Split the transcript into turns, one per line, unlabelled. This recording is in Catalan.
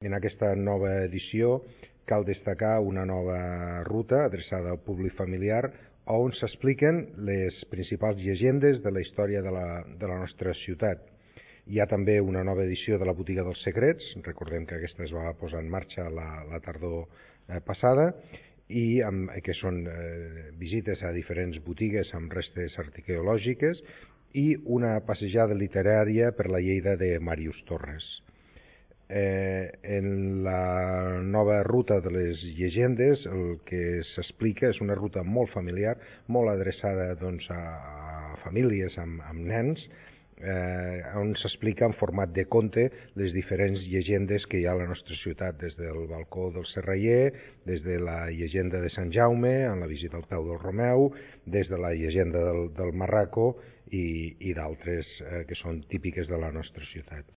En aquesta nova edició cal destacar una nova ruta adreçada al públic familiar on s'expliquen les principals llegendes de la història de la nostra ciutat. Hi ha també una nova edició de la Botiga dels Secrets, recordem que aquesta es va posar en marxa la tardor passada, i que són visites a diferents botigues amb restes arqueològiques i una passejada literària per la Lleida de Màrius Torres. En la nova ruta de les llegendes el que s'explica és una ruta molt familiar, molt adreçada a famílies amb nens, on s'explica en format de conte les diferents llegendes que hi ha a la nostra ciutat, des del balcó del Serraller, des de la llegenda de Sant Jaume, en la visita al peu del Romeu, des de la llegenda del Marraco i d'altres que són típiques de la nostra ciutat.